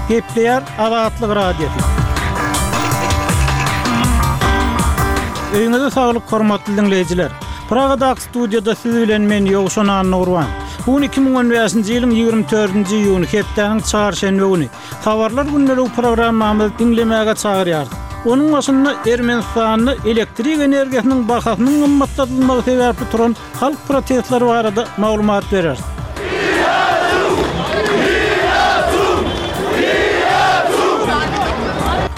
Gepleýär Azatlyk Radiosy. Öýüňize saglyk hormatly diňleýjiler. Pragadaky studiýada siz bilen men Ýowşan Annagurban. Bu gün 2015-nji ýylyň 24-nji iýuny hepdäniň çarşenbe güni. Habarlar gündeligi programmamyzy diňlemäge çagyrýarys. Onuň başynda Ermenistanda elektrik energiýasynyň bahasynyň gymmatladylmagy sebäpli turan halk protestleri barada maglumat bereris.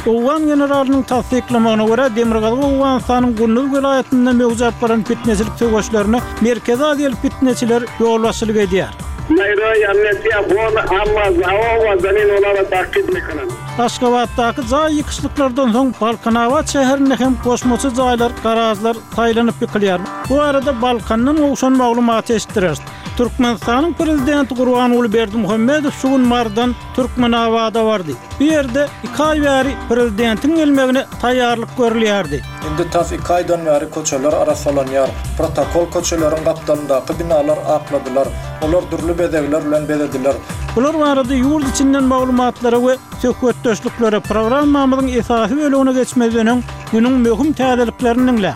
Owgan generalynyň tassyklamagyna görä, Demirgazyk Owganystanyň Gunduz welaýatynda möwjäp baran pitneçilik söweşlerine Merkezi Aziýaly pitneçiler ýolbaşçylyk edýär. Aşgabatdaky jaý ýykyşlyklardan soň Balkanabat şäherinde hem goşmaça jaýlar, garažlar saýlanyp ýykylýar. Bu barada Balkandan gowşan maglumaty eşitdireris. Türkmenistanyň Prezidenti Gurbanguly Berdimuhamedow şu gün Marydan Türkmenabada bardy. Bu ýerde iki aý bäri prezidentiň gelmegine taýýarlyk görülýärdi. Indi tas iki aýdan bäri köçeler arassalanýar. Protokol köçeleriň gapdalyndaky binalar akladylar. Olar dürli bezegler bilen bezediler. Bular barada ýurt içinden maglumatlara we söhbetdeşliklere programmamyzyň esasy bölegine geçmezden öň günüň möhüm täzeliklerini diňläň.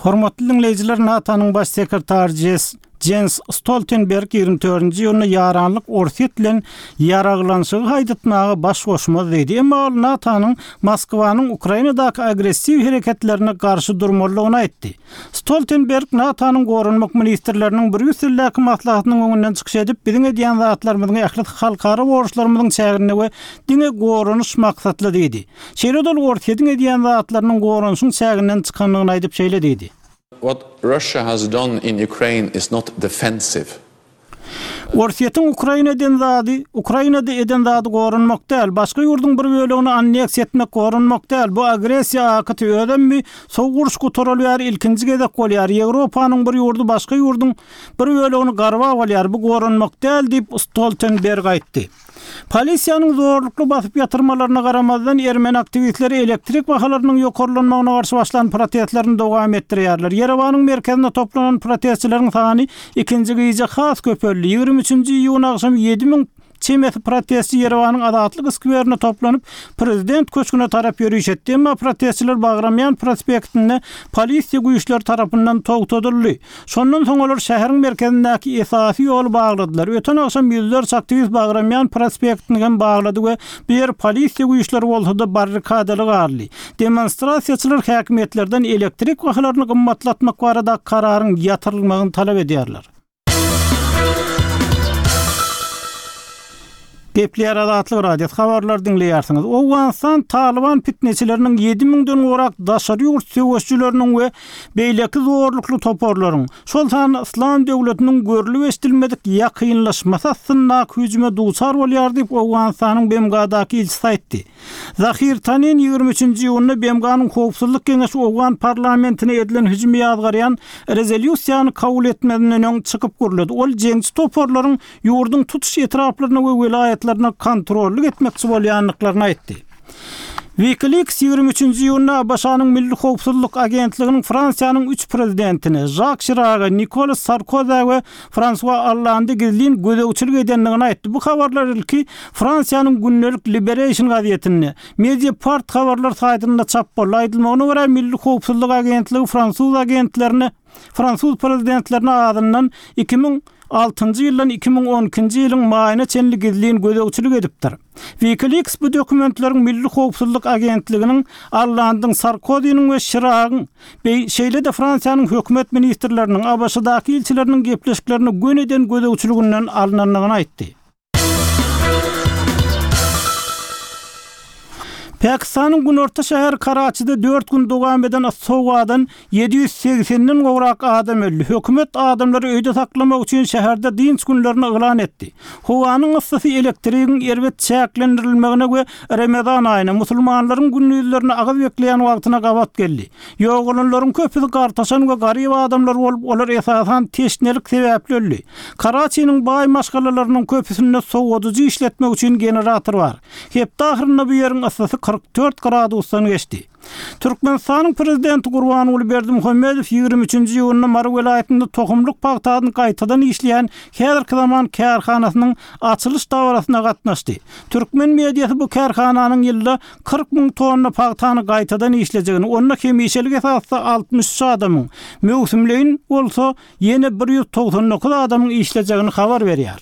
Hormatly diňleýjiler NATO-nyň baş sekretary Jes Jens Stoltenberg 24-nji iýunda ýaranlyk Orsýet bilen ýaraglanyşygy haýdatmaga baş goşmaz diýdi. Emma ol NATO-nyň Moskwanyň Ukrainadaky agressiw hereketlerine garşy durmalydygyny aýtdy. Stoltenberg NATO-nyň goranmak ministrleriniň Brýusseldäki maslahatynyň öňünden çykyş edip, biziň edýän zatlarymyzyň ählisi halkara borçlarymyzyň çäginde we diňe goranyş maksatly diýdi. Şeýle-de ol Orsýetiň edýän zatlarynyň goranyşyň çäginden çykandygyny aýdyp şeýle diýdi. What Russia has done in Ukraine is not defensive. Orsýetiň Ukraina eden zady, Ukrainada eden zady goranmak däl, başga ýurduň bir bölegini anneksiýa etmek goranmak däl, bu agressiýa akty, özem bi sowuk uruş gutaraly bäri ilkinji gezek bolýar, Ýewropanyň bir ýurdy başga ýurduň bir bölegini garbap alýar, bu goranmak däl diýip, Stoltenberg aýtdy. Polisiýanyň zorlukly basyp ýatyrmalaryna garamazdan, ermeni aktiwistleri elektrik bahalarynyň ýokarlanmagyna garşy başlan protestlerini dowam etdirýärler. Ýerewanyň merkezinde toplanan protestçileriň sany ikinji gije has köpeldi. 23-nji iýun agşamy 7000 çemesi protestçi Ýerewanyň Azatlyk skwerine toplanyp, prezident köşgüne tarap ýöriş etdi. Emma protestçiler Bagramýan prospektinde polisiýa güýçleri tarapyndan togtadyldy. Şondan soň olar şäheriň merkezindäki esasy ýoly bagladylar. Öten agşam ýüzlerçe aktiwist Bagramýan prospektini hem baglady we bu ýer polisiýa güýçleri bolsa-da barrikadaly galdy. Demonstrasiýaçylar häkimiýetlerden elektrik bahalaryny gymmatlatmak baradaky kararyň ýatyrylmagyny talap edýärler. Gepleýär Azatlyk Radiosy habarlary diňleýärsiňiz. Owganystan Talyban pitneçileriniň ýedi müňden gowrak daşary ýurt söweşijileriniň we beýleki zorlukly toparlaryň, şol sanda Yslam döwletiniň görlüp-eşidilmedik ýakynlaşmasy astyndaky hüjüme duçar bolýar diýip, Owganystanyň BMG-daky ilçisi aýtdy. Zahir Tanin 23-nji iýunda BMG-niň Howpsuzlyk Geňeşi owgan parlamentine edilen hüjümi ýazgarýan rezolýusiýany kabul etmezinden öň çykyp gürledi. Ol jeňçi toparlaryň ýurduň tutuş etraplaryna we welaýatlaryna kontrollyk etmekçi bolýandyklaryny aýtdy. WikiLeaks 23-nji iýunda ABŞ-nyň Milli howpsuzlyk agentliginiň Fransiýanyň üç prezidentine, Žak Şiraga, Nikolas Sarkozä we Fransua Ollanda gizlin gözegçilik edendigini aýtdy. Bu habarlar ilki Fransiýanyň gündelik Liberation gazetinde, Mediapart habarlar saýtynda çap boldy. Aýdylmagyna görä, Milli howpsuzlyk agentligi fransuz agentlerine fransuz prezidentlerine azyndan 2006-njy ýyldan 2012-nji ýylyň maýyna çenli gizlin gözegçilik edipdir. WikiLeaks bu dokumentleriň Milli howpsuzlyk agentliginiň Ollandyň, Sarkoziniň we Şiragyň, şeýle-de Fransiýanyň hökümet ministrleriniň, ABŞ-daky ilçileriniň gepleşiklerine göniden gözegçiliginden alnandygyny aýtdy. Pakistanyň günorta şäheri Karaçide dört gün dowam eden yssy howadan 780-den gowrak adam öldi. Hökümet adamlary öýde saklamak üçin şäherde dynç günlerini yglan etdi. Howanyň yssysy elektrigiň erbet çäklendirilmegine we Remezan aýyna, musulmanlaryň gündizlerine agyz bekleýän wagtyna gabat geldi. Ýogalanlaryň köpüsi gartaşan we garyp adamlar bolup, olar esasan teşnelik sebäpli öldi. Karaçiniň baý maşgalalarynyň köpüsinde sowadyjy işletmek üçin generator bar. Hepde ahyrynda bu ýeriň yssysy 40. 44 gradusdan geçdi. Türkmenistanyň Prezidenti Gurbanguly Berdimuhamedow 23-nji iýunda Mary welaýatynda tohumlyk pagtasyny gaýtadan işleýän häzirki zaman kärhanasynyň açylyş dabarasyna gatnaşdy. Türkmen mediasy bu kärhananyň ýylda 40 müň tonna pagtany gaýtadan işlejegini, onda hemişelik esasda 63 adamyň, möwsümleýin bolsa ýene 199 adamyň işlejegini habar berýär.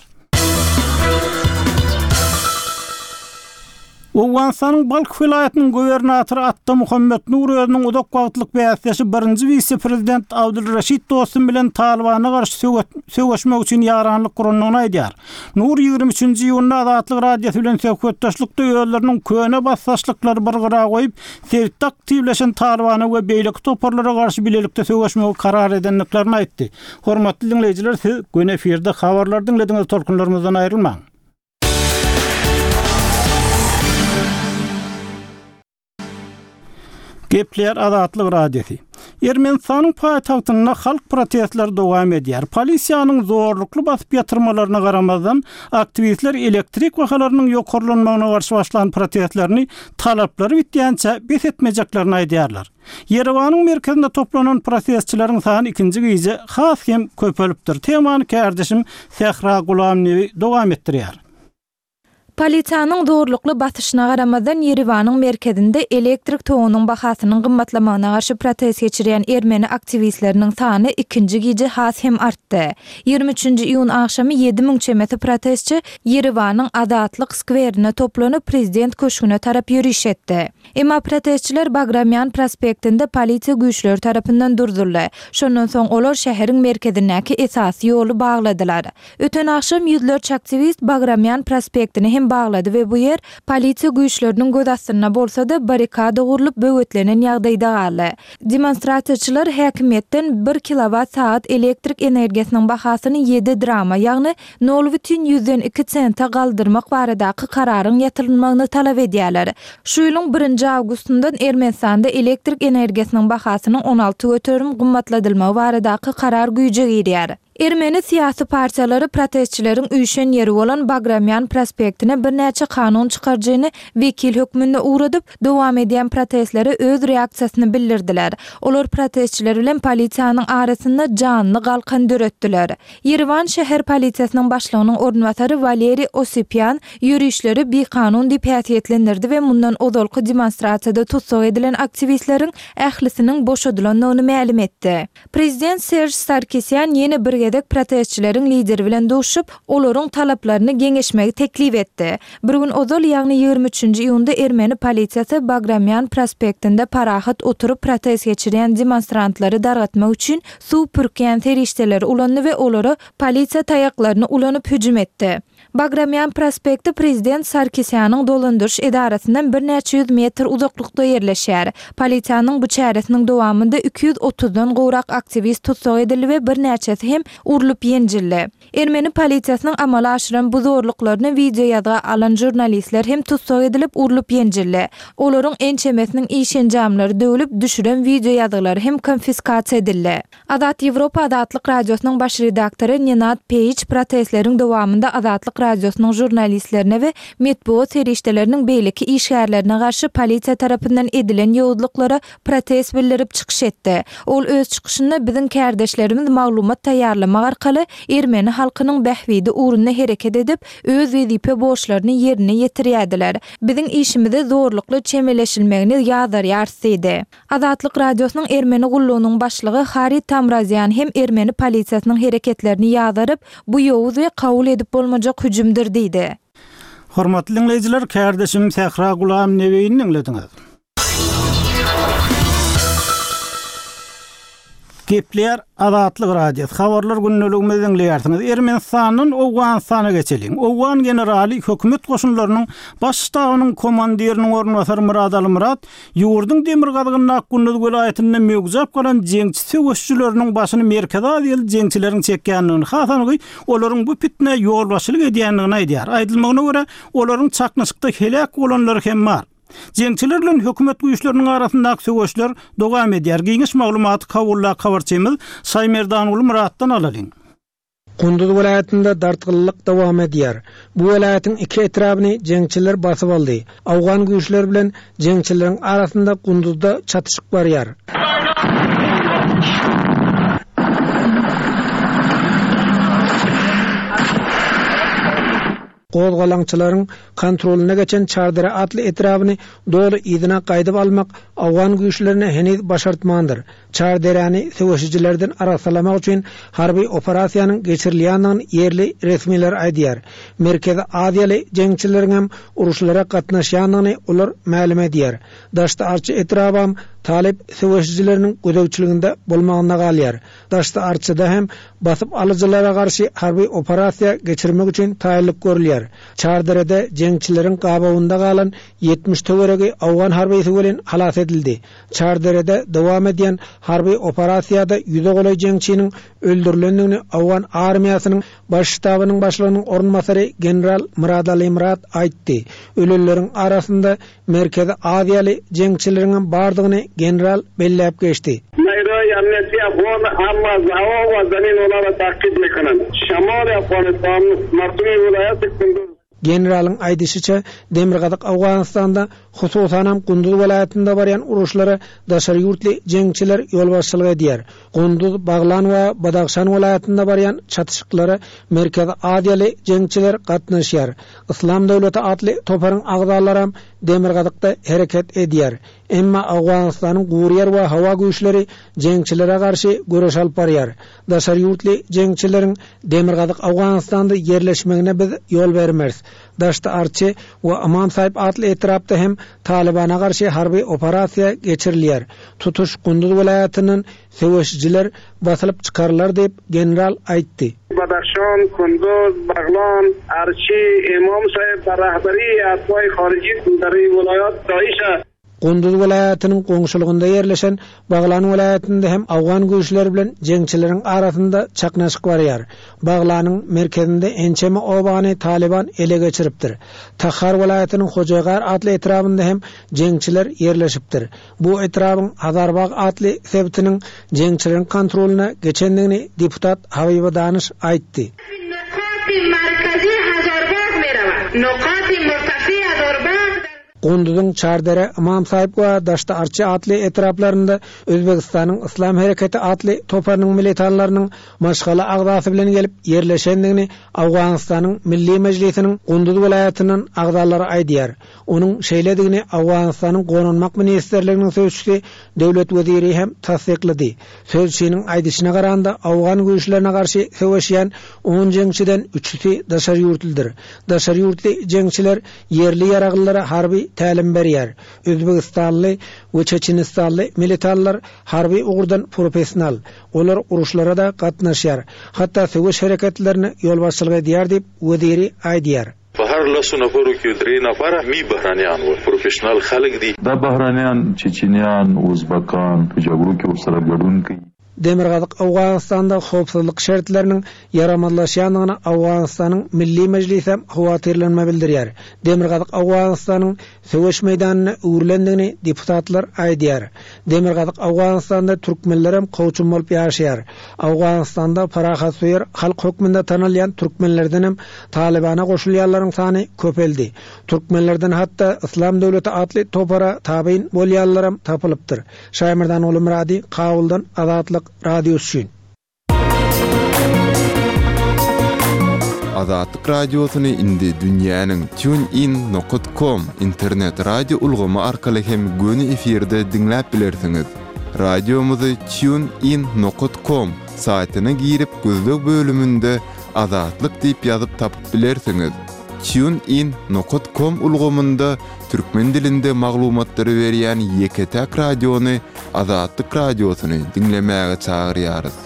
Owganystanyň Balh welaýatynyň gubernatory Atta Muhammet Nur özüniň uzak wagtlyk bäsdeşi birinji wise-prezident Abdul Reşit Dostum bilen Talybana garşy söweşmek üçin ýaranlyk gurandygyny aýdýar. Nur 23-nji iýunda Azatlyk Radiosy bilen söhbetdeşlikde özleriniň köne basdaşlyklary bir gyra goýup, sebitde aktiwleşen Talybana we beýleki toparlara garşy bilelikde söweşmegi karar edendiklerini aýtdy. Hormatly diňleýjiler siz göni efirde habarlary diňlediňiz tolkunlarymyzdan aýrylmaň. Gepleýär Azatlyk Radiosy. Ermenistanyň paýtagtynda halk protestleri dowam edýär. Polisiýanyň zorlukly basyp ýatyrmalaryna garamazdan, aktiwistler elektrik bahalarynyň ýokarlanmagyna garşy başlan protestlerini talaplary bitýänçä bes etmejeklerini aýdýarlar. Ýerewanyň merkezinde toplanan protestçileriň sany ikinji gije has hem köpelipdir. Temany kärdeşim Sähra Gulamnebi dowam etdirýär. Polisiýanyň zorlukly basyşyna garamazdan, Ýerewanyň merkezinde elektrik togunyň bahasynyň gymmatlamagyna garşy protest geçirýän ermeni aktiwistleriniň sany ikinji gije has hem artdy. 23-nji iýun agşamy 7000 çemesi protestçi Ýerewanyň Azatlyk skwerine toplanyp, prezident köşgüne tarap ýöriş etdi. Emma protestçiler Bagramýan prospektinde polisiýa güýçleri tarapyndan durzuldy. Şondan soň olar şäheriň merkezindäki esasy ýoly bagladylar. Öten agşam ýüzlerçe aktiwist Bagramýan prospektini hem baglady we bu ýer polisiýa güýçleriniň göz astynda bolsa-da, barrikada gurlup böwetlenen ýagdaýda galdy. Demonstrasiýaçylar häkimiýetden bir kilowat sagat elektrik energiýasynyň bahasyny ýedi drama, ýagny nol bütin ýüzden iki sente galdyrmak baradaky kararyň ýatyrylmagyny talap edýärler. Şu ýylyň birinji awgustyndan Ermenistanda elektrik energiýasynyň bahasynyň 16% gymmatladylmagy baradaky karar güýje girýär. Ermeni syýasy partiýalary protestçileriň üýşen ýeri bolan Bagramýan prospektine birnäçe kanun çykaryjyny wekil hökmünde ugradyp, dowam edýän protestlere öz reaksiýasyny bildirdiler. Olar protestçiler bilen polisiýanyň arasynda janly galkan döretdiler. Ýerewan şäher polisiýasynyň başlygynyň orunbasary Waleriý Osipýan ýörişleri bikanun diýip häsiýetlendirdi we mundan ozalky demonstrasiýada tussag edilen aktiwistleriň ählisiniň boşadylandygyny mälim etdi. Prezident Serž Sarkisýan ýene bir gezek protestçileriň lideri bilen duşup, olaryň talaplaryny geňeşmegi teklip etdi. Bir gün ozal, ýagny 23-nji iýunda ermeni polisiýasy Bagramýan prospektinde parahat oturyp protest geçirýän demonstrantlary dargatmak üçin suw pürkýän serişdeleri ulandy we olara polisiýa taýaklaryny ulanyp hüjüm etdi. Bagramýan prospekti prezident Sarkisýanyň dolandyryş edarasyndan birnäçe ýüz metr uzaklykda ýerleşýär. Polisiýanyň bu çäresiniň dowamynda 230-dan gowrak aktiwist tussag edildi we birnäçesi hem urlup ýenjildi. Ermeni polisiýasynyň amala aşyran bu zorluklaryny wideoýazga alan žurnalistler hem tussag edilip, urlup ýenjildi. Olaryň ençemesiniň iş enjamlary döwlüp, düşüren wideoýazgylary hem konfiskasiýa edildi. Azat Ýewropa Azatlyk Radiosynyň baş redaktory Nenad Peýiç protestleriň dowamynda Azatlyk Radiosynyň žurnalistlerine we metbugat serişdeleriniň beýleki işgärlerine garşy polisiýa tarapyndan edilen ýowuzlyklara protest bildirip çykyş etdi. Ol öz çykyşynda biziň kärdeşlerimiz maglumat taýýarlamak arkaly ermeni halkynyň bähbidi ugrunda hereket edip, öz wezipe borçlaryny ýerine ýetirýärdiler. Biziň işimize zorlukly çemeleşilmegini ýazarýarys diýdi. Azatlyk Radiosynyň Ermeni gullugynyň başlygy Harri Tamrazýan hem ermeni polisiýasynyň hereketlerini ýazaryp, bu ýowuz we kabul edip bolmajak hüjümdir diýdi. Hormatly diňleýjiler, kärdeşim Sähra Gulamnebeýini diňlediňiz. Gepleýär Azatlyk Radiosy, Habarlar gündeligimizi diňleýärsiňiz. Ermenistandan Owganystana geçeliň. Owgan generaly, hökümet goşunlarynyň Baş ştabynyň komandiriniň orunbasary Myrat Alymyrat Ýurduň demirgazygyndaky Gunduz welaýatynda möwjäp galan jeňçi söweşijileriniň başyny Merkezi Aziýaly jeňçileriň çekýändigini, has anygy, olaryň bu pitnä ýolbaşçylyk edýändigini aýdýar. Aýdylmagyna görä, olaryň çaknyşykda heläk bolanlary hem bar. Jeňçiler bilen hökümet güýçleriniň arasyndaky söweşler dowam edýär. Giňiş maglumaty Kabuldaky habarçymyz Şaýmerdanguly Myratdan alalyň. Kunduz welaýatynda dartgynlylyk dowam edýär. Bu welaýatyň iki etrabyny jeňçiler basyp aldy. Owgan güýçleri bilen jeňçileriň arasynda Kunduzda çatyşyk barýar. Gozgalaňçylaryň kontrolyna geçen Çardere atly etrabyny doly yzyna gaýdyp almak owgan güýçlerine heniz başartmandyr. Çarderäni söweşijilerden arassalamak üçin harby operasiýanyň geçirilýändigini ýerli resmiler aýdýar. Merkezi Aziýaly jeňçileriňem uruşlara gatnaşýandygyny olar mälim edýär. Daşdy-Arçy etrabam talyp söweşijileriniň gözegçiliginde bolmagynda galýar. Daşdy-Arçyda hem basyp alyjylara garşy harby operasiýa geçirmek üçin taýynlyk görülýär. Çarderede jeňçileriň gabawynda galan 70 töweregi owgan harbysy welin halas edildi. Çarderede dowam edýän harby operasiýada ýüze golaý jeňçiniň öldürilendigini owgan armiýasynyň Baş ştabynyň başlygynyň orunbasary general Myradali Myrat aýtdy. Ölenleriň arasynda Merkezi Aziýaly jeňçileriňem bardygyny general belläp geçdi. Generalyň aýdyşyça, Demirgazyk Owganystanda, hususanam Gunduz welaýatynda barýan uruşlara daşary ýurtly jeňçiler ýolbaşçylyk edýär. Gunduz, Baglan we Badahşan welaýatynda barýan çatyşyklara Merkezi Aziýaly jeňçiler gatnaşýar. Yslam döwleti atly toparyň agzalaram demirgazykda hereket edýär. Emma Owganystanyň guryýer we howa güýçleri jeňçilere garşy göreş alyp barýar. Daşary ýurtly jeňçileriň Demirgazyk Owganystanda ýerleşmegine biz ýol bermeris. Daşty Arçy we Ymam Saýyp atly etrapda hem Talybana garşy harby operasiýa geçirilýär. Tutuş Gunduz welaýatyndan söweşijiler basylyp çykarylar diýip, general aýtdy. Badahşan, Kunduz, Baglan, Arçy, Ymam Saýyp bar rahbariýi atwaý haryjy dar welaýat Daişa. Gunduz welaýatynyň goňşulygynda ýerleşen Baglan welaýatynda hem owgan güýçleri bilen jeňçileriň arasynda çaknaşyk barýar. Baglanyň merkezinde ençeme obany Talyban ele geçiripdir. Tahar welaýatynyň Hojaýgar atly etrabynda hem jeňçiler ýerleşipdir. Bu etrabyň Hazarbag atly sebitiniň jeňçileriň kontrolyna geçendigini deputat Habiba Danyş aýtdy. Gunduzyň Çardere, Ymam Saýyp we Daşdy Arçy atly etraplarynda Özbegistanyň Yslam hereketi atly toparynyň militanlarynyň maşgala agzasy bilen gelip ýerleşendigini Owganystanyň Milli Mejlisiniň Gunduz welaýatyndan agzalary aýdýar. Onuň şeýledigini Owganystanyň Goranmak ministrliginiň sözçüsi Döwlet Weziri hem tassyklady. Sözçiniň aýdyşyna garanda, owgan güýçlerine garşy söweşýän on jeňçiden üçüsi daşary ýurtlydyr. Daşary ýurtly jeňçiler ýerli ýaraglylara harby tälim berýär. Özbegistanly we çeçenistanly militanlar harby ugurdan professional. Olar uruşlara-da gatnaşýar. Hatda söweş hereketlerine ýolbaşçylyk edýär diýip, Weziri aýdýar. په هر لسو نفرو کې درې نفره مي بهرنیان ول، پروفیشنل خلک دي. دا بهرنیان، چیچینیان، ازبکان په جګړو کې ورسره ګډون کوي. Demirgazyk Owganystanda howpsuzlyk şertleriniň ýaramazlaşýandygyna Owganystanyň Milli Mejlisem howatyrlanma bildirýär. Demirgazyk Owganystanyň söweş meýdanyna öwrülendigini deputatlar aýdýar. Demirgazyk Owganystanda türkmenlerem kowçum bolup ýaşaýar. Owganystanda parahatsöýer halk hökmünde tanalýan türkmenlerdenem Talybana goşulýanlaryň sany köpeldi. Türkmenlerden hatda Yslam döwleti atly topara tabyn bolýanlaram tapylypdyr. Şaýmyrdan Gulumyrady, Kabuldan Azatlyk Radiosy üçin. Azatlyk Radiosyny indi dünýäniň TuneIn nokat com internet radio ulgamy arkaly hem göni efirde diňläp bilersiňiz. Radiomyzy TuneIn nokat com saýtyna girip gözleg bölüminde Azatlyk diýip ýazyp tapyp bilersiňiz. TuneIn nokat com ulgamynda türkmen dilinde maglumatlary berýän ýeke-täk radiony Azatlyk Radiosyny diňlemäge çagyrýarys.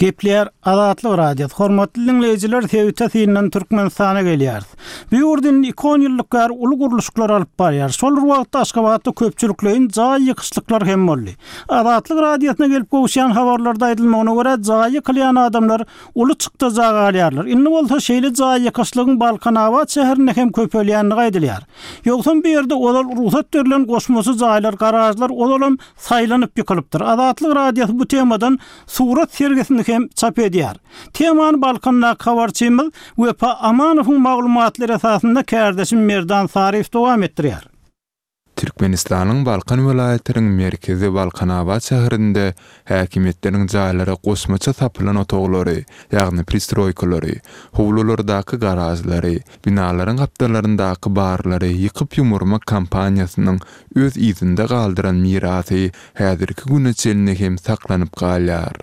Gepleýär Azatlyk Radiosy. Hormatly diňleýjiler, sebite syndan Türkmenistana gelýäris. Bu ýurt indi iki onýyllyk bäri uly gurluşyklar alyp barýar. Şol bir wagtda Aşgabatda köpçülikleýin jaý ýykyşlyklar hem boldy. Azatlyk Radiosyna gelip gowuşýan habarlarda aýdylmagyna görä, jaýy ýykylýan adamlar uly çykdaja galýarlar. Indi bolsa şeýle jaý ýykyşlygyň Balkanabat şäherinde hem köpelýändigi aýdylýar. Ýogsam bu ýerde ozal rugsat berlen goşmaça jaýlar, garažlar ozalam saýlanyp ýykylypdyr. Azatlyk Radiosy bu temadan surat sergisini hem çap edýär. Temany Balkandaky habarçymyz Wepa Amanowyň maglumatlary esasynda kärdeşim Merdan Saryýew dowam etdirýär. Türkmenistanyň Balkan welaýatynyň merkezi Balkanabat şäherinde häkimiýetleriň jaýlara goşmaça sapylan otaglary, ýagny pristroýkalary, howlulardaky garažlary, binalaryň gapdallaryndaky barlary ýykyp-ýumurmak kampaniýasynyň öz yzynda galdyran mirasy häzirki güne çenli hem saklanyp galýar.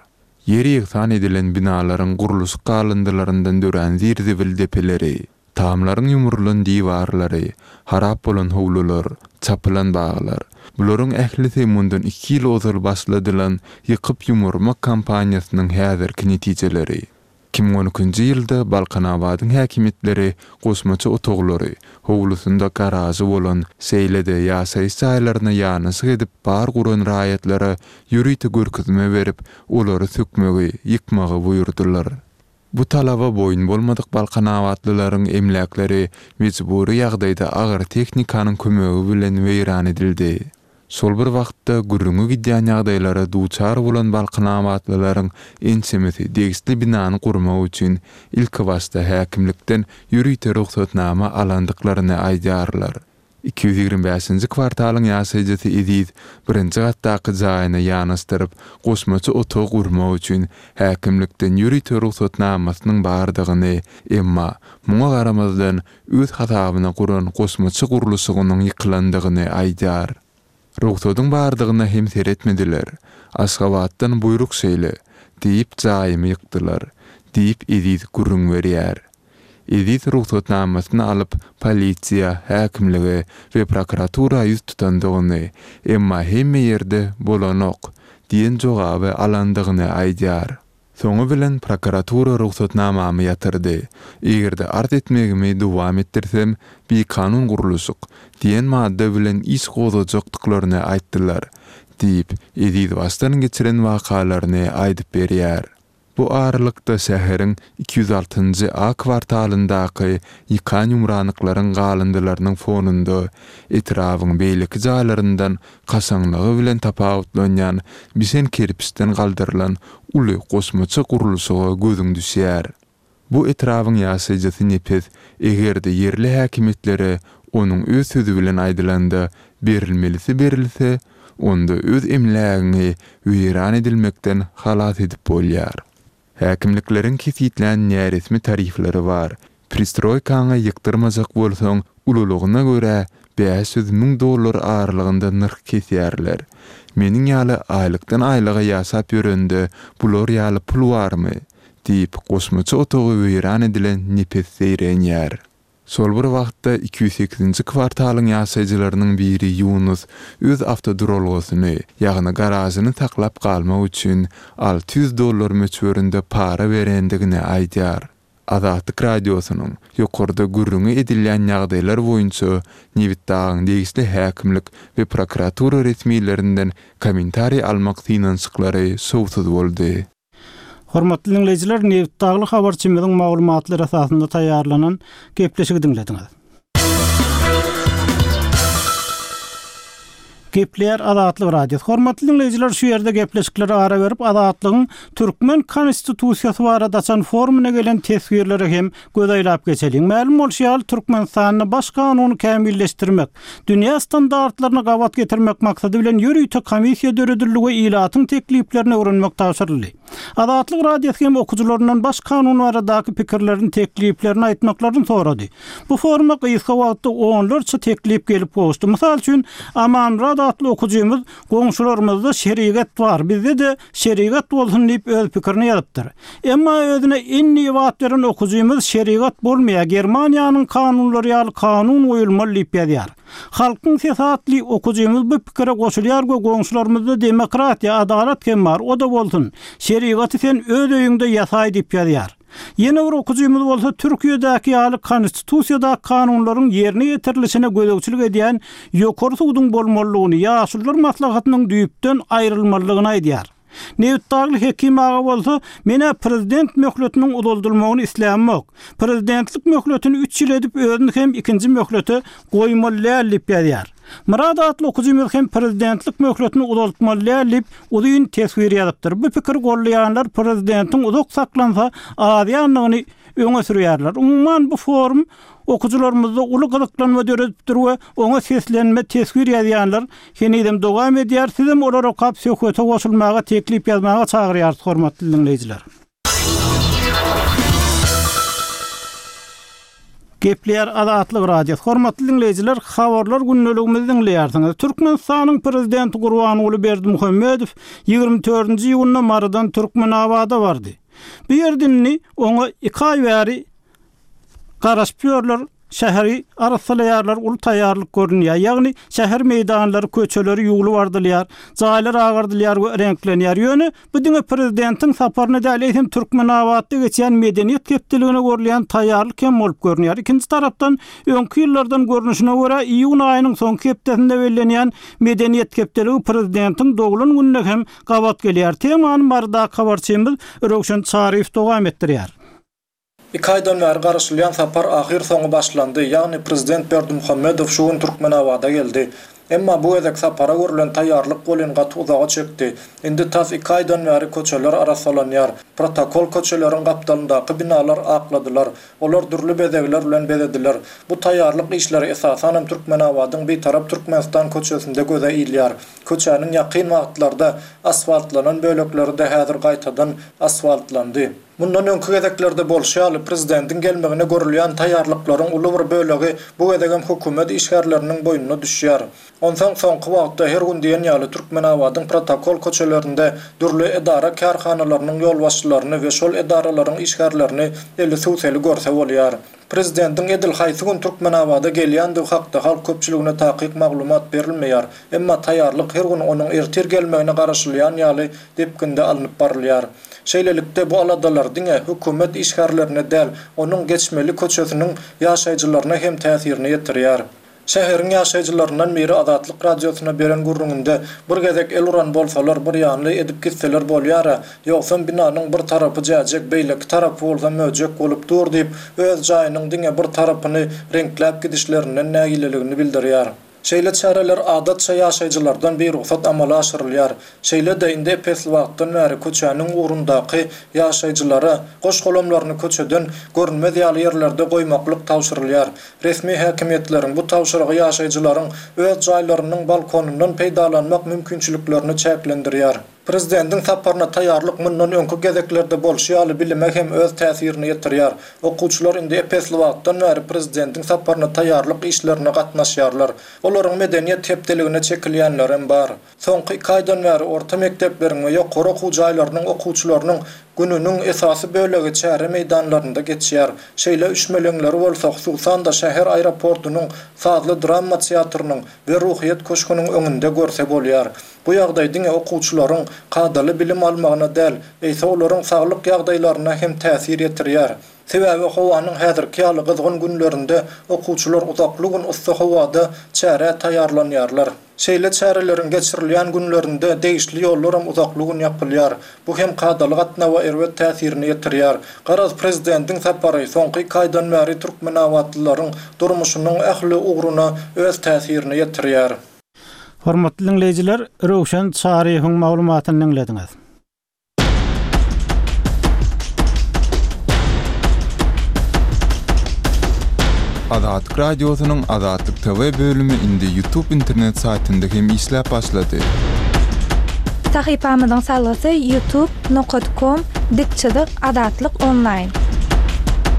Ýer ýegsan edilen binalaryň gurluşyk galyndylaryndan dörän zir-zibil depeleri, Tamlaryň ýumrulan diwarlary, harap bolan howlular, çapylan baglar, bularyň ählisi mundan iki ýyl ozal başladylan ýykyp-ýumurmak kampaniýasynyň häzirki netijeleri. 2012-nji ýylda Balkanabadyň häkimiýetleri goşmaça otaglary, howlusynda garažy bolan, şeýle-de ýaşaýyş jaýlaryna ýanaşyk edip bar guran raýatlara ýörite görkezme berip, olary sökmegi, ýykmagy buýurdylar. Bu talaba boýun bolmadyk balkanabatlylaryň emläkleri mejbury ýagdaýda agyr tehnikanyň kömegi bilen weýran edildi. Şol bir wagtda, gürrüňi gidýän ýagdaýlara duçar bolan balkanabatlylaryň ençemesi degişli binany gurmak üçin ilkibaşda häkimlikden ýörite rugsatnama alandyklaryny aýdýarlar. 225-nji kwartalyň ýaşaýjysy Eziz birinji gatdaky jaýyna ýanaşdyryp, goşmaça otag gurmak üçin häkimlikden ýörite rugsatnamasynyň bardygyny, emma, muňa garamazdan, öz hasabyna guran goşmaça gurluşygynyň ýykylandygyny aýdýar. Rugsadyň bardygyna hem seretmediler. Aşgabatdan buýruk şeýle, diýip, jaýymy ýykdylar, diýip, Eziz gürrüň berýär. Eziz rugsatnamasyny alyp, polisiýa, häkimlige we prokuratura ýüz tutandygyny, emma hemme ýerde bolanok diýen jogaby alandygyny aýdýar. Soňy bilen prokuratura rugsatnamamy ýatyrdy. Eger-de arz etmegimi dowam etdirsem, bikanun gurluşyk diýen madda bilen iş gozgajakdyklaryny aýtdylar, diýip, Eziz başdan geçiren wakalaryny aýdyp berýär. Bu aralykda şäheriň 206-njy A kwartalyndaky ýykan-ýumranyklaryň galyndylarynyň fonunda etrabyň beýleki jaýlaryndan kaşaňlygy bilen tapawutlanýan bişen kerpiçden galdyrylan uly goşmaça gurluşyga gözüň düşýär. Bu etrabyň ýaşaýjysy Nepes eger-de ýerli häkimiýetlere onuň öz sözi bilen aýdylanda berilmelisi berilse, onda öz emlägiňi weýran edilmekden halas edip bolýar. Häkimlikleriň kesgitlän näresmi tarifleri bar. Pristroýkaňy ýykdyrmajak bolsaň, ululygyna görä 500 dollar aralygynda nyrh kesýärler. Meniň ýaly aýlykdan aýlyga ýaşap ýörende bular ýaly pul barmy? diýip, goşmaça otagy weýran edilen Nepes zeýrenýär. Şol bir wagtda, 208-nji kwartalyň ýaşaýjylarynyň biri Ýunus öz awtoduralgasyny, ýagny garažyny saklap galmak üçin 600 dollar möçberinde para berendigini aýdýar. Azatlyk Radiosynyň ýokarda gürrüňi edilýän ýagdaýlar boýunça Nebitdagyň degişli häkimlik we prokuratura resmilerinden kommentariý almak synanyşyklary şowsuz boldy. Hormatly diňleýjiler, Nebitdagly habarçymyzyň maglumatlary esasynda taýýarlanan gepleşigi diňlediňiz. Gepleýär Azatlyk Radiosy. Hormatly diňleýjiler, şu ýerde gepleşiklere ara berip, Azatlygyň türkmen Konstitusiýasy barada açan forumyna gelen teswirlere hem göz aýlap geçeliň. Mälim bolşy ýaly, Türkmenistanda Baş kanuny kämilleşdirmek, dünýä standartlaryna gabat getirmek maksady bilen ýörite komissiýa döredildi we ilatyň tekliplerini öwrenmek tabşyryldy. Azatlyk Radiosy hem okyjylaryndan Baş kanun baradaky pikirlerini, tekliplerini aýtmaklaryny sorady. Bu foruma gysga wagtda onlarça teklip gelip gowuşdy. Mysal üçin, Amanmyradow. Halmyrat atly okyjymyz Goňşularymyzda şerigat bar, bizde-de şerigat bolsun diýip öz pikirini ýazypdyr. Emma özüne N diýip at beren okyjymyz şerigat bolmaýar, Germaniýanyň kanunlary ýaly kanun goýulmaly diýip ýazýar. Halkyň sesi atly okyjymyz bu pikire goşulýar we goňşularymyzda demokratiýa, adalat hem bar, o-da bolsun. Şerigaty sen öz öýüňde ýasaý diýip ýazýar. Ýene bir okyjymyz bolsa Türkiýedäki ýaly konstitusiýadaky kanunlaryň ýerine ýetirilişine gözegçilik edýän ýokary suduň bolmalydygyny, ýaşulular maslahatynyň düýpden aýrylmalydygyny aýdýar. Nebitdagly Hekim aga bolsa, Men-ä prezident möhletiniň uzaldylmagyny islämok. Prezidentlik möhletini üç ýyl edip özüni hem ikinji möhlete goýmaly däl diýip ýazýar. Myrat atly okyjymyz hem prezidentlik möhletini uzaltmaly däl diýip, uzyn teswir ýazypdyr. Bu pikiri goldaýanlar prezidentiň uzak saklansa azýandygyny öňe sürýärler. Umuman, bu forum okyjylarymyzda uly gyzyklanma döredipdir we oňa seslenme, teswir ýazýanlar henizem dowam edýär. Sizem olary okap söhbete goşulmaga, teklip ýazmaga çagyrýarys, hormatly diňleýjiler. Gepleýär Azatlyk Radiosy. Hormatly diňleýjiler, habarlar gündeligimizi diňleýärsiňiz. Türkmenistanyň Prezidenti Gurbanguly Berdimuhamedow 24-nji iýunda Marydan Türkmenabada bardy. Bu ýerde indi oňa iki aý bäri garaşyp ýörler. Şäheri arassalaýarlar, uly taýýarlyk görünýär. Ýagny şäher meýdanlary, köçeleri ýuwlup ardylýar, jaýlar agardylýar we reňklenýär. Ýöne bu diňe prezidentiň saparyna däl, eýsem Türkmenabatda geçýän Medeniýet hepdeligine görülýän taýýarlyk hem bolup görünýär. Ikinji tarapdan, öňki ýyllardan görnüşine görä, iýun aýynyň soňky hepdesinde bellenýän Medeniýet hepdeligi prezidentiň doglan gününe hem gabat gelýär. Temany Marydaky habarçymyz Röwşen Çaryýew dowam etdirýär. Iki aýdan bäri garaşylýan sapar ahyrsoňy başlandy, ýagny prezident Berdimuhamedow şu gün Türkmenabada geldi. Emma bu gezek sapara görlen taýýarlyk welin gaty uzaga çekdi. Indi tas iki aýdan bäri köçeler arassalanýar. Protokol köçeleriň gapdalyndaky binalar akladylar. Olar dürli bezegler bilen bezediler. Bu taýýarlyk işleri esasanam Türkmenabadyň Bitarap Türkmenistan köçesinde göze ilýär. Köçäniň ýakyn wagtlarda asfaltlanan bölekleri-de häzir gaýtadan asfaltlandy. Mundan öňki gezeklerde bolşy ýaly, prezidentiň gelmegine görülýän taýýarlyklaryň uly bir bölegi bu gezegem hökümet işgärleriniň boýnuna düşýär. Onsoň soňky wagtda her gün diýen ýaly Türkmenabadyň protokol köçelerinde dürli edara-kärhanalarynyň ýolbaşçylaryny we şol edaralaryň işgärlerini eli sübseli görse bolýar. Prezidentiň edil haýsy gün Türkmenabada gelýändigi hakda halk köpçüligine takyk maglumat berilmeýär, emma taýýarlyk her gün onuň ertir gelmegine garaşylýan ýaly depginde alnyp barylýar. Şeýlelikde, bu aladalar diňe hökümet işgärlerine däl, onuň geçmeli köçesiniň ýaşaýjylaryna hem täsirini ýetirýär. Şäheriň ýaşaýjylaryndan biri Azatlyk Radiosyna beren gürrüňinde, Bir gezek el uran bolsalar, birýanly edip gitseler bolýar-a, ýogsam binanyň bir tarapy jäjek, beýleki tarapy bolsa möjek bolup dur diýip, öz jaýynyň diňe bir tarapyny reňkläp gidişlerinden nägileligini bildirýär. Şeýle çäreler adatça ýaşaýjylardan birugsat amala aşyrylýar. Şeýle-de, indi ep-esli wagtdan bäri köçäniň ugrundaky ýaşaýjylara goş-golamlaryny köçeden görünmez ýaly ýerlerde goýmaklyk tabşyrylýar. Resmi häkimiýetleriň bu tabşyrygy ýaşaýjylaryň öz jaýlarynyň balkonyndan peýdalanmak mümkinçiliklerini çäklendirýär. Prezidentiň saparyna taýýarlyk mundan öňki gezeklerde bolşy ýaly bilime hem öz täsirini ýetirýär. Okuwçylar indi ep-esli wagtdan bäri prezidentiň saparyna taýýarlyk işlerine gatnaşýarlar. Olaryň medeniýet hepdeligine çekilýänlerem bar. Soňky iki aýdan bäri orta mekdepleriň we ýokary okuw jaýlarynyň okuwçylarynyň gününiň esasy bölegi çäre meýdanlarynda geçýär. Şeýle üşmeleňleri bolsa, hususan-da, şäher aeroportunyň, sazly-drama teatrynyň we Ruhyýet köşgüniň öňünde görse bolýar. Bu ýagdaý diňe okuwçylaryň kadaly bilim almagyna däl, eýse olaryň saglyk ýagdaýlaryna hem täsir ýetirýär. Sebäbi howanyň häzirki ýaly gyzgyn günlerinde okuwçylar uzakly gün yssy howada çärä taýýarlanýarlar. Şeýle çäreleriň geçirilýän günlerinde degişli ýollaram uzakly gün ýapylýar. Bu hem kadaly gatnawa erbet täsirini ýetirýär. Garaz, prezidentiň sapary soňky iki aýdan bäri türkmenabatlylaryň durmuşynyň ähli ugruna öz täsirini ýetirýär. Hormatly diňleýjiler, Röwşen Çaryýewiň maglumatyny diňlediňiz. Azatlyk Radiosynyň Azatlyk TV bölümi indi YouTube internet saýtynda hem işläp başlady. Sahypamyzyň salgysy youtube nokat kom dik çyzyk azatlyk onlaýn.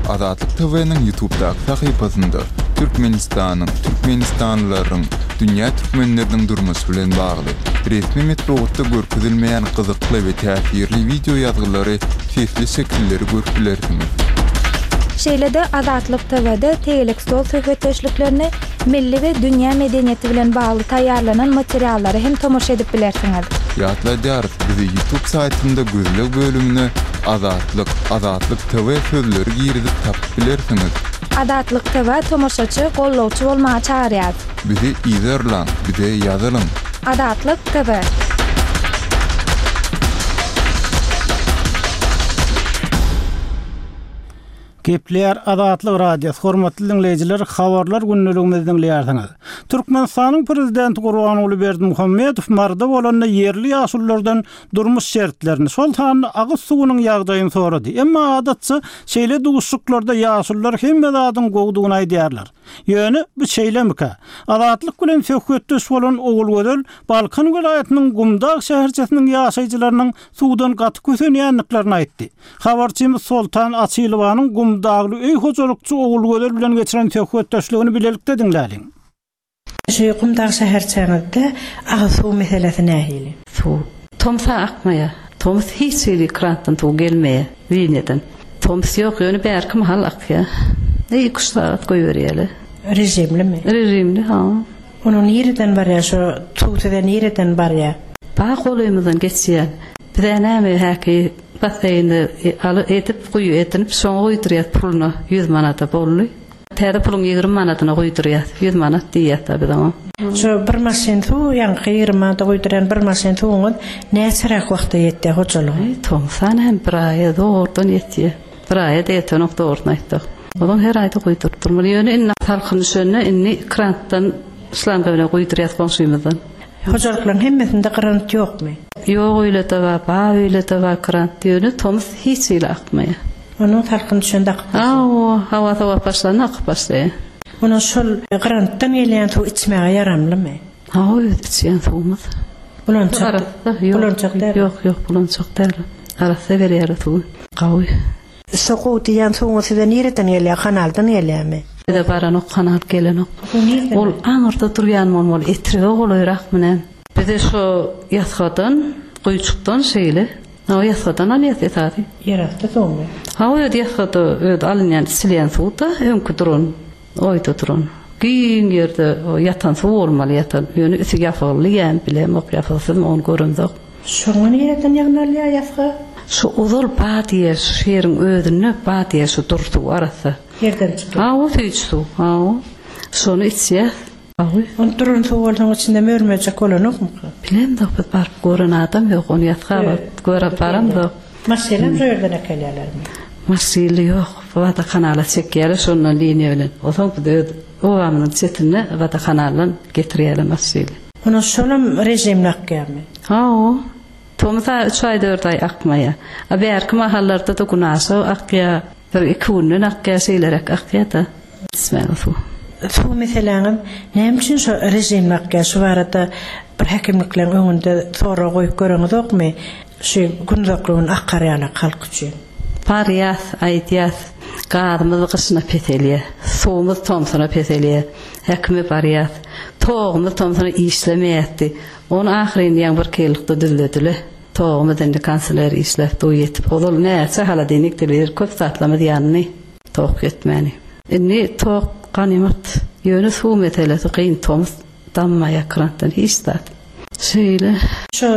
Azatlyk TV-niň YouTube'daky sahypasynda. Türkmenistanyň, türkmenistanlylaryň, dünýä türkmenleriniň durmuşy bilen bagly, resmi metbugatda görkezilmeýän gyzykly we täsirli wideo ýazgylary, sesli şekilleri görüp bilersiňiz. Şeýle-de Azatlyk TW-de tegelek stol söhbetdeşliklerini, milli we dünýä medeniýeti bilen bagly taýýarlanan materiallara hem tomaşa edip bilersiňiz. Ýatladýarys, bizi YouTube saýtynda gözleg bölümine Azatlyk, Azatlyk TV sözleri girizip tapyp bilersiňiz. Azatlyk TV tomaşaçy, gollawçy bolmaga çagyrýar. Bizi yzarlaň, bize ýazylyň. Azatlyk TV. Gepleýär Azatlyk Radiosy, hormatly diňleýjiler, habarlar gündeligimizi diňleýärsiňiz. Türkmenistanyň Prezidenti Gurbanguly Berdimuhamedow Maryda bolanda ýerli ýaşululardan durmuş şertlerini, şol sanda agyz suwunyň ýagdaýyny sorady. Emma adatça şeýle duşuşyklarda ýaşulular hemme zadyň gowudygyny aýdýarlar. Ýöne bu şeýlemikä? Azatlyk bilen söhbetdeş bolan Ogulgözel Balkan welaýatynyň Gumdag şäherçesiniň ýaşaýjylarynyň suwdan gaty kösenýändiklerini aýtdy. Habarçymyz Soltan Açylowanyň Gumdagly öý hojalykçy Ogulgözel bilen geçiren söhbetdeşligini bilelikde diňläliň. Şu Gumdag şäherçäňizde agyz suw meselesi nähili? Suw tomsa akmaýar. Tomus hiç hili krantdan suw gelmeýär, liniýadan. Tomus ýok, ýöne bärki mahal akýar. Iki-üç sagat goýberýärler. Režimlimi? Režimli, ha. Onuň nireden barýar şo suw size nireden barýar? Bag golymyzdan geçýär. Bizä näme häki basseýnde aly edip guýy edinip şoňa guýdurýas puluna ýüz manada boldy. Täze puluň 20 manadyna guýdurýas. 100 manat diýýäs-da biz oňa. Şo bir maşyn suw ýaňky 20 manada guýdurýan bir maşyn suwuňyz näçeräk wagta ýetýär hojalyga? Tomsan hem bir aýa zordan ýetýär. Bir aýa-da ýetenok dogrusyny aýtsak. Ozal her aýda guýduryp durmaly. Ýöne indi salkyn düşende indi krantdan şlanga bilen guýdurýas goňşymyzdan. Hojalyklaryň hemmesinde grant ýokmy? Ýok öýlede bar, bar öýlede bar grant. Ýöne tomus hiç hili akmaýar. Onuň salkyn düşende akyp başlaýar. Hawa, howa sowap başlanda akyp başlaýar. Onuň şol grantdan gelýän suw içmäge ýaramlymy? Hawa öz içýän suwumyz. Bulançak. Arassa, ýok. Bulançak däl. Ýok, ýok, bulançak däl. Arassa berýärler suwy. Gawy. Şo gowy diýýän suwuňyz size nireden gelýär, kanaldan gelýärmi? Bize baranok, kanal gelenok. Ol aňyrda durýan bolmaly, Etrege golaýrakmy näme? Bize şo ýasgadan, guýujykdan şeýle. Hawa, ýasgadan alýas esasy. Ýerasty suwmy? Hawa, özi ýasgada özi alynýan, içilýän suw-da, öňki duran. Oýda duran. Giň ýerde ýatan suw bolmaly ýatan. Ýöne üsti ýapygly ýa bilemok ýapygsyzmy ony göremzok. Şoňa nireden ýygnalýar ýasga? Şu ozal ba diýer şu şeriň özünde ba diýer şu dur suw arassa. Ýerden çykýar. Hawa süýji suw hawa. Şony içýäs. Hawa. Ony duran suw bolsaň içinde mörmejek bolanokmyka? Bilemzok biz baryp gören adam ýok ony ýasga baryp görüp baramzok. Maşynam şo ýerden äkelýärlermi? Maşynly ýok. Wodokanala çekýärler şondan liniýa bilen. Onsoň biz öz obamyzyň çetinde wodokanaldan getirýärler maşyny. Ondan şolam režimli akýarmy? Hawa. Tomus aýy üç aý dört aý akmaýar. A bärki mahallarda-da günaşa akýar. Bir iki günden akýar şeýleräk akýar-da. Içmäge suw. Suw meseläňiz näme üçin şo režimli akýar? Şu barada bir häkimlikleriň öňünde sorag goýup göreňizokmy? Şu günuzakly gün akar ýalak halk üçin. Barýas, aýdýas, gazymyz gyşyna peselýär, suwumyz tomsuna peselýär. Häkime barýas, togumyz tomsuna işlemeýärdi. Ony ahyryn ýaňy birki ýyllykda düzledile. Togumyz indi kanseler işläp dur ýetip. Ozal näçe holodilnik, telewizor köp zatlarymyz ýandy. Tok ýetmäni. Indi tok ganymat. Ýöne suw meselesi kyn tomus dammaýar krantdan hiç zat. Şeýle. Şu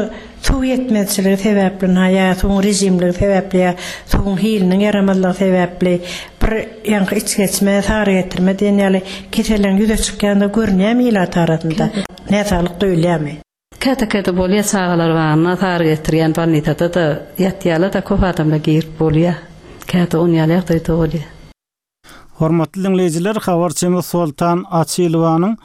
suw ýetmezçiligi sebäpli na ýa suwuň režimligi sebäpli ýa suwuň hiliniň ýaramazlygy sebäpli bir ýaňky içgeçme, sary getirme diýen ýaly keselleriň ýüze çykýandygy görünýärmi ilat arasynda? Näsaglyk duýulýarmy? Käte-käte bolýar çagalar bagynda sary getirýän bolnisada-da ýatýarlar-da köp adamlar girip bolýar. Käte on ýaly ýagdaýda bolýar. Hormatly diňleýjiler, habarçymyz Soltan Açylowanyň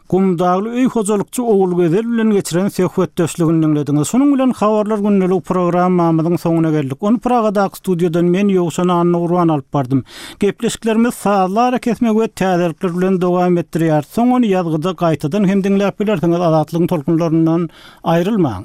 Gumdagly öý hojalykçy Ogulgözel bilen geçiren söhbetdeşligini diňlediňiz. Şunuň bilen Habarlar gündelik programmamyzyň soňuna geldik. Ony Pragadaky studiýadan men Ýowşan Annagurban alyp bardym. Gepleşiklerimizi sazly arakesme we täzelikler bilen dowam etdirýäris. Soň ony ýazgyda gaýtadan hem diňläp bilersiňiz Azatlygyň tolkunlaryndan aýrylmaň.